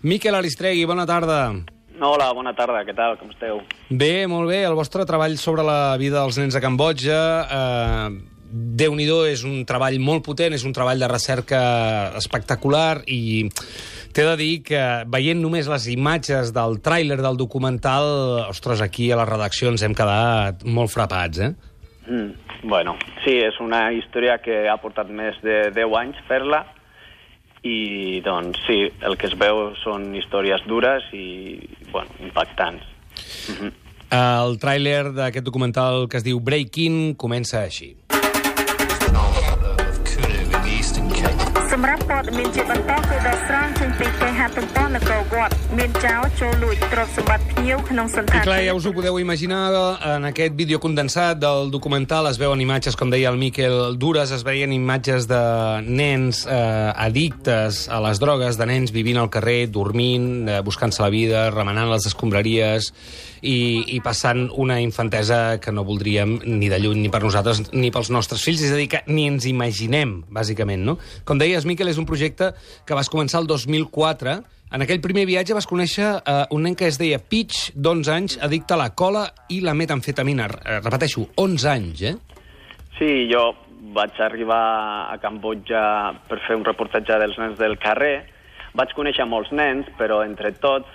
Miquel Aristregui, bona tarda. Hola, bona tarda, què tal, com esteu? Bé, molt bé. El vostre treball sobre la vida dels nens a Cambodja, Déu-n'hi-do, és un treball molt potent, és un treball de recerca espectacular i t'he de dir que veient només les imatges del tràiler del documental, ostres, aquí a la redacció ens hem quedat molt frapats, eh? Bueno, sí, és una història que ha portat més de 10 anys fer-la i, doncs, sí, el que es veu són històries dures i, bueno, impactants. El tràiler d'aquest documental que es diu Breaking comença així. សម្រាប់ព័ត៌មានជាបន្តគឺដកស្រង់ចេញពីគេហទំព័រនគរវត្តមានចោរចូលលួចទ្រព្យសម្បត្តិភ្ញៀវក្នុងសន្តាន I clar, ja us ho podeu imaginar, en aquest vídeo condensat del documental es veuen imatges, com deia el Miquel, dures, es veien imatges de nens addictes a les drogues, de nens vivint al carrer, dormint, buscant-se la vida, remenant les escombraries i passant una infantesa que no voldríem ni de lluny ni per nosaltres ni pels nostres fills, és a dir, que ni ens imaginem, bàsicament, no? Com deies, Miquel, és un projecte que vas començar el 2004. En aquell primer viatge vas conèixer un nen que es deia Peach, d'11 anys, addicte a la cola i la metamfetamina. Repeteixo, 11 anys, eh? Sí, jo vaig arribar a Cambodja per fer un reportatge dels nens del carrer. Vaig conèixer molts nens, però entre tots,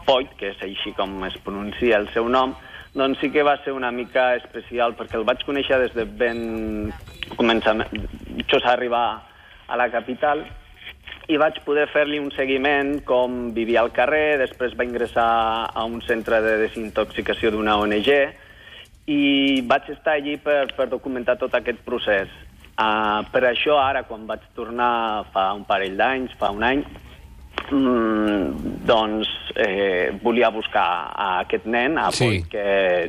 Poit, que és així com es pronuncia el seu nom, doncs sí que va ser una mica especial, perquè el vaig conèixer des de ben començament, just arribar a la capital, i vaig poder fer-li un seguiment com vivia al carrer. Després va ingressar a un centre de desintoxicació d'una ONG i vaig estar allí per documentar tot aquest procés. Per això ara, quan vaig tornar fa un parell d'anys, fa un any, volia buscar a aquest nen, a Poit, que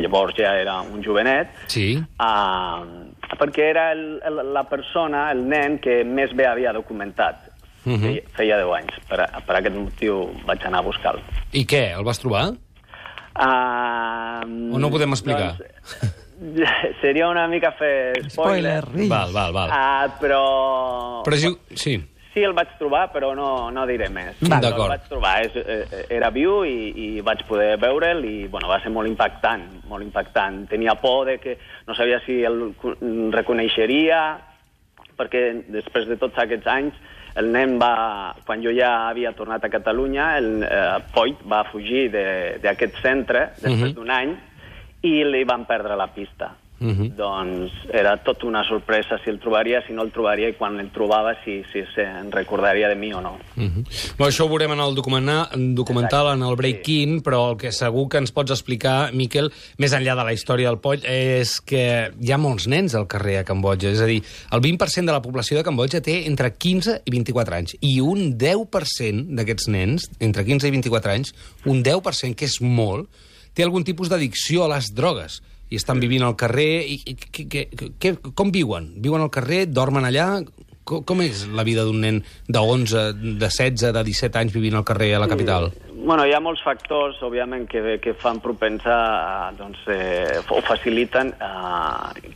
llavors ja era un jovenet, perquè era la persona, el nen, que més bé havia documentat. Feia 10 anys. Per aquest motiu vaig anar a buscar-lo. I què, el vas trobar? O no ho podem explicar? Seria una mica fer spoiler. Val. Però sí. Sí, el vaig trobar, però no diré més. D'acord. El vaig trobar, era viu i vaig poder veure'l i va ser molt impactant. Tenia por de que no sabia si el reconeixeria, perquè després de tots aquests anys el nen quan jo ja havia tornat a Catalunya, el Poit va fugir d'aquest centre després d'un any i li van perdre la pista. Doncs era tot una sorpresa si el trobaria, si no el trobaria, i quan el trobava si se'n recordaria de mi o no. Això ho veurem en el documental, en el Break-In, però el que segur que ens pots explicar, Miquel, més enllà de la història del Poll, és que hi ha molts nens al carrer a Cambodja. És a dir, el 20% de la població de Cambodja té entre 15 i 24 anys, i un 10% d'aquests nens, entre 15 i 24 anys, un 10%, que és molt, té algun tipus d'addicció a les drogues. I estan vivint al carrer. Com viuen? Viuen al carrer? Dormen allà? Com és la vida d'un nen de 11, de 16, de 17 anys vivint al carrer a la capital? Hi ha molts factors, òbviament, que fan propensar, o faciliten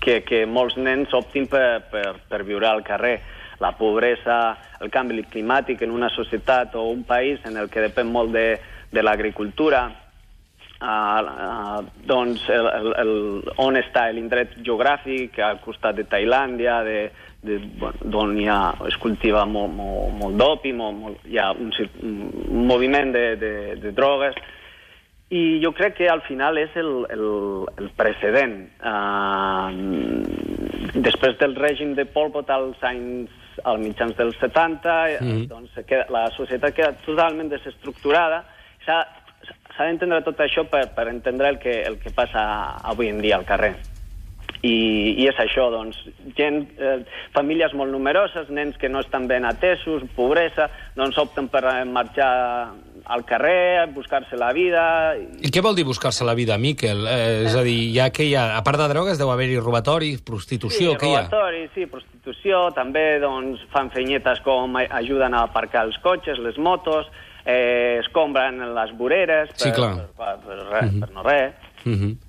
que molts nens optin per viure al carrer. La pobresa, el canvi climàtic en una societat o un país en el que depèn molt de l'agricultura, on està l'indret geogràfic, al costat de Tailàndia, d'on es cultiva molt d'opi, hi ha un moviment de drogues, i jo crec que al final és el precedent. Després del règim de Pol Pot als mitjans dels 70, la societat queda totalment desestructurada. S'ha d'entendre tot això per entendre el que passa avui en dia al carrer. I és això, famílies molt numeroses, nens que no estan ben atesos, pobresa, opten per marxar al carrer, buscar-se la vida. I què vol dir buscar-se la vida, Miquel? És a dir, a part de drogues deu haver-hi robatoris, prostitució, què hi ha? Sí, prostitució, també fan feinyetes com ajuden a aparcar els cotxes, les motos, escombren les voreres per no res.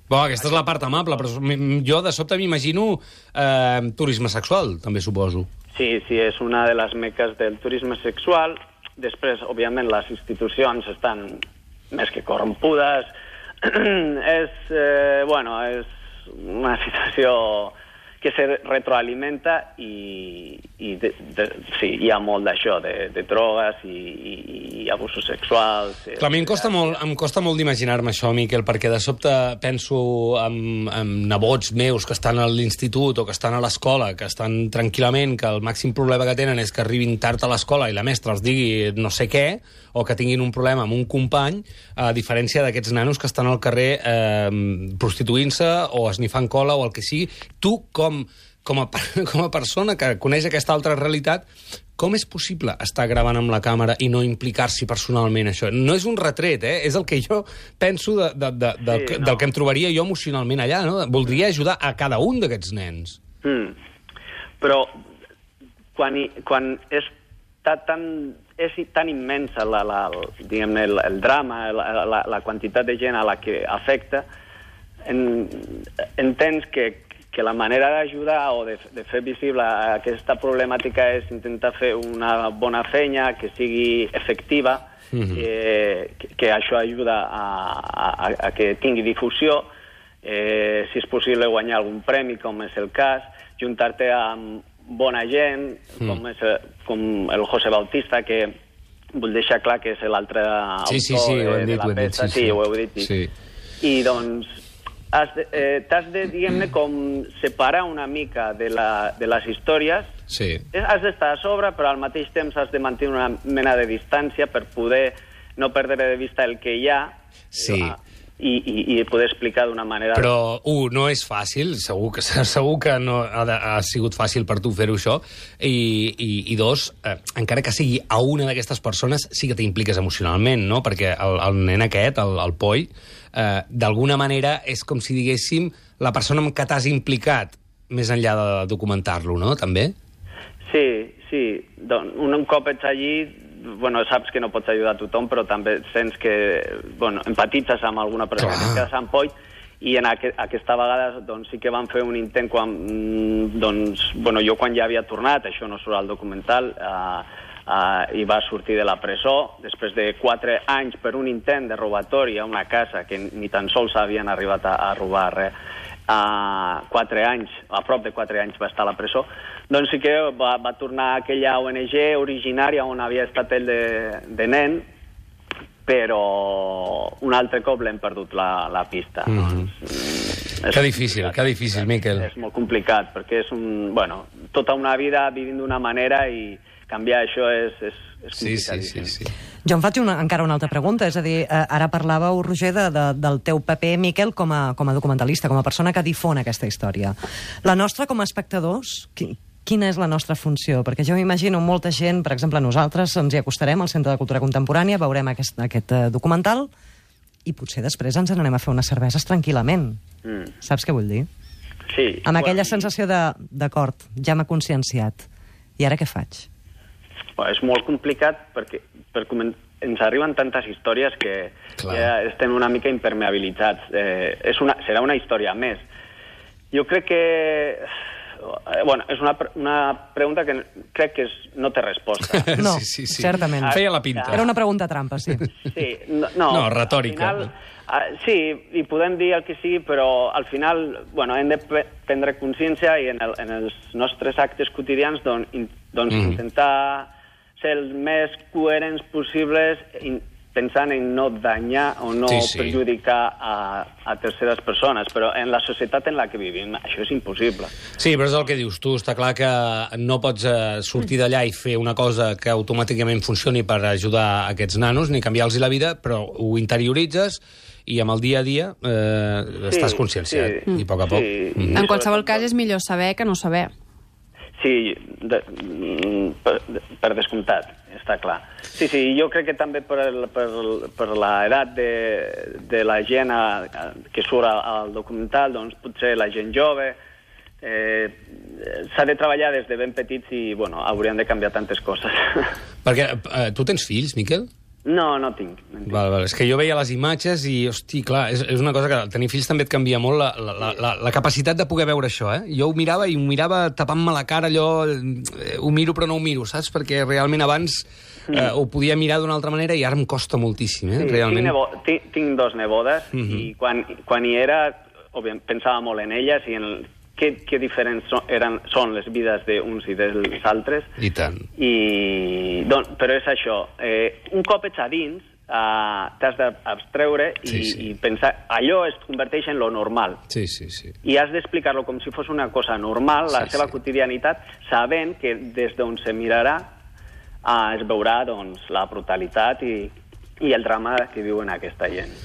Aquesta és la part amable, però jo de sobte m'imagino turisme sexual, també suposo. Sí, és una de les meques del turisme sexual. Després, òbviament, les institucions estan més que corrompudes. És una situació que se retroalimenta i sí, hi ha molt d'això, de drogues i abusos sexuals. Clar, a mi em costa molt d'imaginar-me això, Miquel, perquè de sobte penso en nebots meus que estan a l'institut o que estan a l'escola, que estan tranquil·lament, que el màxim problema que tenen és que arribin tard a l'escola i la mestra els digui no sé què, o que tinguin un problema amb un company, a diferència d'aquests nanos que estan al carrer prostituint-se o esnifant cola o el que sigui. Tu, com a persona que coneix aquesta altra realitat, com és possible estar gravant amb la càmera i no implicar-s'hi personalment, això? No és un retret, és el que jo penso del que em trobaria jo emocionalment allà, no? Voldria ajudar a cada un d'aquests nens. Però quan és tan immensa el drama, la quantitat de gent a la que afecta, entens que la manera d'ajudar o de fer visible aquesta problemàtica és intentar fer una bona feina, que sigui efectiva, que això ajuda a que tingui difusió, si és possible guanyar algun premi, com és el cas, juntar-te amb bona gent, com el José Bautista, que vull deixar clar que és l'altre autor de la peça. Sí, ho heu dit. I doncs t'has de, diguem-ne, com separar una mica de les històries. Sí. Has d'estar a sobre, però al mateix temps has de mantenir una mena de distància per poder no perdre de vista el que hi ha. Sí. I poder explicar d'una manera... Però, no és fàcil, segur que no ha sigut fàcil per tu fer-ho això, i dos, encara que sigui a una d'aquestes persones, sí que t'impliques emocionalment, no? Perquè el nen aquest, el Poi, d'alguna manera és com si diguéssim la persona amb què t'has implicat més enllà de documentar-lo, no? També? Sí. Un cop ets allí, saps que no pots ajudar a tothom, però també sents que empatitzes amb alguna persona que es queda a Sant Poi, i en aquesta vegada sí que van fer un intent quan jo quan ja havia tornat, això no surt al documental, i va sortir de la presó després de 4 anys per un intent de robatori a una casa que ni tan sols havien arribat a robar res. 4 anys, a prop de 4 anys va estar a la presó, doncs sí que va tornar a aquella ONG originària on havia estat ell de nen, però un altre cop l'hem perdut la pista. Que difícil, Miquel. És molt complicat, perquè és tota una vida vivint d'una manera i canviar això és complicadíssim. Sí. Jo em faig encara una altra pregunta, és a dir, ara parlàveu, Roger, del teu paper, Miquel, com a documentalista, com a persona que difon aquesta història. La nostra, com a espectadors, quina és la nostra funció? Perquè jo m'imagino molta gent, per exemple, nosaltres ens hi acostarem al Centre de Cultura Contemporània, veurem aquest documental i potser després ens n'anem a fer unes cerveses tranquil·lament. Saps què vull dir? Sí. Amb aquella sensació d'acord, ja m'ha conscienciat. I ara què faig? És molt complicat perquè ens arriben tantes històries que ja estem una mica impermeabilitzats. Serà una història més. Jo crec que... és una pregunta que crec que no té resposta. No, sí. Certament. Feia la pinta. Era una pregunta trampa, sí. Sí, no, retòrica. Al final, sí, i podem dir el que sigui, però al final hem de prendre consciència i en els nostres actes quotidians intentar ser els més coherents possibles pensant en no danyar o no perjudicar a terceres persones, però en la societat en la que vivim això és impossible. Sí, però és el que dius tu, està clar que no pots sortir d'allà i fer una cosa que automàticament funcioni per ajudar a aquests nanos, ni canviar-los la vida, però ho interioritzes i amb el dia a dia estàs conscienciat, i a poc a poc. En qualsevol cas és millor saber que no saber. Sí, per descomptat, està clar. Sí, jo crec que també per l'edat de la gent que surt al documental, doncs potser la gent jove, s'ha de treballar des de ben petits i, hauríem de canviar tantes coses. Perquè tu tens fills, Miquel? No, no tinc. Val. És que jo veia les imatges i, hosti, clar, és una cosa que tenir fills també et canvia molt la capacitat de poder veure això, Jo ho mirava i ho mirava tapant-me la cara, allò, ho miro però no ho miro, saps? Perquè realment abans ho podia mirar d'una altra manera i ara em costa moltíssim, realment. Tinc dos nebodes i quan hi era, òbviament, pensava molt en elles i en què diferents són les vides d'uns i dels altres. I tant. Però és això. Un cop ets a dins, t'has d'abstreure i pensar... Allò es converteix en lo normal. Sí. I has d'explicar-lo com si fos una cosa normal, la seva quotidianitat, sabent que des d'on se mirarà es veurà la brutalitat i el drama que viuen aquesta gent.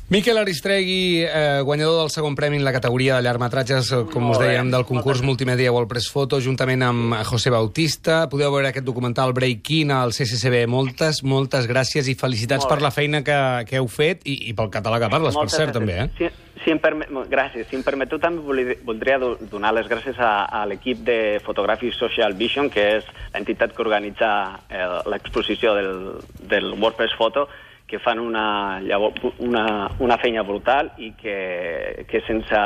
Miquel Aristregui, guanyador del segon premi en la categoria de llargmetratges, com us dèiem, del concurs Multimèdia World Press Photo, juntament amb José Bautista. Podeu veure aquest documental Break-In al CCCB. Moltes gràcies i felicitats per la feina que heu fet i pel català que parles, per cert, també. Gràcies. Si em permeteu, també voldria donar les gràcies a l'equip de Photographic Social Vision, que és l'entitat que organitza l'exposició del World Press Photo, que fan una feina brutal i que sense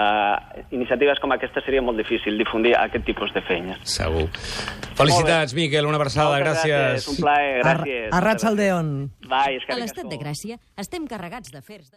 iniciatives com aquesta seria molt difícil difundir aquest tipus de feines. Segur. Felicitats, Miquel, una abraçada, gràcies. Un plaer, gràcies. Arratsaldeon. A l'estat de Gràcia estem carregats d'afers...